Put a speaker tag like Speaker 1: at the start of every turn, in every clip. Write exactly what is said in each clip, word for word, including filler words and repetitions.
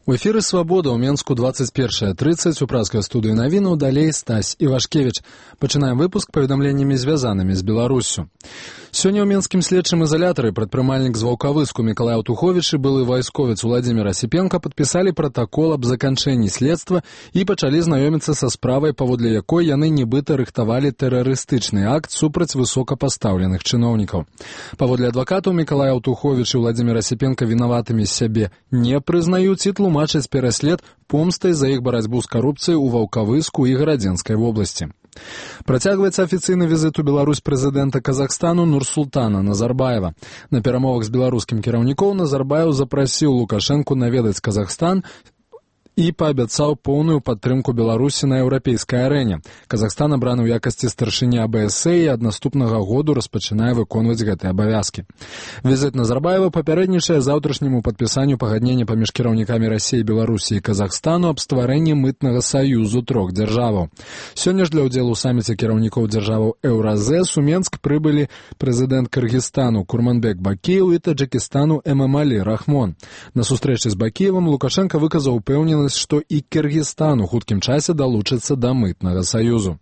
Speaker 1: У эфіры «Свабода» ў Менску двадцать першая тридцать у пражскай студыі навінаў, далей Стась Івашкевіч. Пачынаем выпуск паведамленнямі, звязанымі з Беларуссю. Сёння ў менскім следчым изолятары прадпрымальнік з Ваўкавыску Мікалай Аўтуховіч і былы вайсковец Уладзімір Асіпенка падпісалі пратакол аб заканчэнні следства і пачалі знаёміцца са справай, паводле якой яны нібыта рыхтавалі тэрарыстычны акт супраць высокапастаўленых чыноўнікаў. Паводле адвакатаў Мікалай Аўтуховіч і Уладзімір Асіпенка вінаватымі сябе не прызнаюць і тлумачаць пераслед помстай за іх барацьбу з карупцыяй у Ваўкавыску і Гарадзенскай вобласці. Працягваецца афіцыйны візіт у Беларусь прэзідэнта Казахстану Нурсултана Назарбаева. На перамовах з беларускім кіраўніком Назарбаев запрасіў Лукашэнку наведаць Казахстан і паабяцаў поўную падтрымку Беларусі на еўрапейскай арэне. Казахстан абраны ў якасці старшыні А Б С і ад наступнага году распачынае выконваць гэтыя абавязкі. Візіт Назарбаева папярэднічае заўтрашняму падпісанню пагаднення паміж кіраўнікамі Расіі, Беларусі і Казахстану аб стварэнні мытнага саюзу трох дзяржаваў. Сёння ж для ўдзелу ў саміце кіраўнікоў дзяржаваў Еўразэс у Менск прыбылі прэзідэнт Кыргызстану Курманбек Бакіев і Таджикістану Эмамалі Рахмон. На сустрэчы з Бакіевым Лукашенко выказаў упэўненасць, што і Кыргызстан у хуткім часе далучыцца да мытнага саюзу.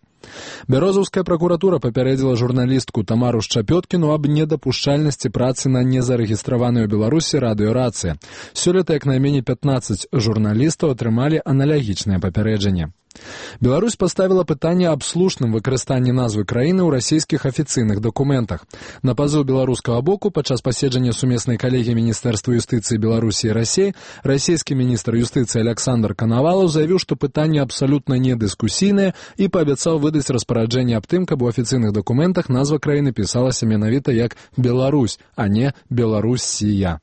Speaker 1: Бярозаўская пракуратура папярэдзіла журналістку Тамару Шчапёткіну аб недапушчальнасці працы на незарэгістраванай у Беларусі радыёрацыі. Сёлета як найменей пятнаццаць журналістаў атрымалі аналагічнае папярэджанне. Беларусь паставіла пытанне аб слушным выкарыстанні назвы краіны ў расійскіх афіцыйных дакументах. На пазыў беларускага боку падчас паседжання сумеснай калегіі Міністэрства юстыцыі Беларусі і Расіі расійскі міністр юстыцыі Александр Канавалаў заявіў, што пытанне абсалютна не дыскусійнае і паабяцаў выдаць распараджэнне аб тым, каб у афіцыйных дакументах назва краіны пісалася менавіта як Беларусь, а не Беларусія.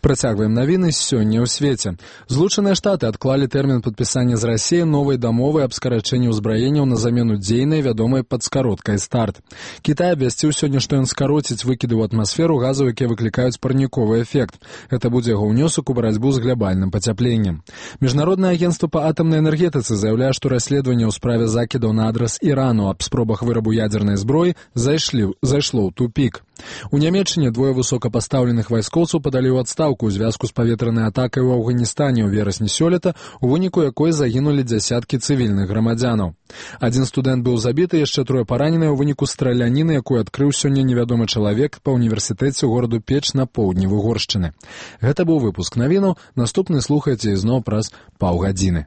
Speaker 1: Працягваем навіны сёння ў свеце. Злучаныя Штаты адклалі тэрмін падпісання з Расіяй новай дамовы аб скарачэнні ўзбраенняў на замену дзейнай, вядомай пад скароткай «Старт». Кітай абвясціў сёння, што ён скароціць выкіды ў атмасферу газаў, якія выклікаюць парніковы эфект. Гэта будзе яго ўнёсак у барацьбу з глябальным пацяпленнем. Міжнароднае агенцтва па атамнай энергетыцы заяўляе, што расследаванне ў справе закідаў на адрас Ірану аб спробах вырабу ядзернай зброі зайшлі, зайшло ў тупік. У Нямецчыне двое высокапастаўленых вайскоўцаў падалі ў адстаўку ў звязку з паветранай атакай у Афганістане ў верасні сёлета, у выніку якой загінулі дзясяткі цывільных грамадзянаў. Адзін студэнт быў забіты, яшчэ трое параненыя ў выніку страляніны, якую адкрыў сёння невядомы чалавек па універсітэце ў гораду Печ на поўдні Вугоршчыны. Гэта быў выпуск навінаў, наступны слухайце ізноў праз паўгадзіны.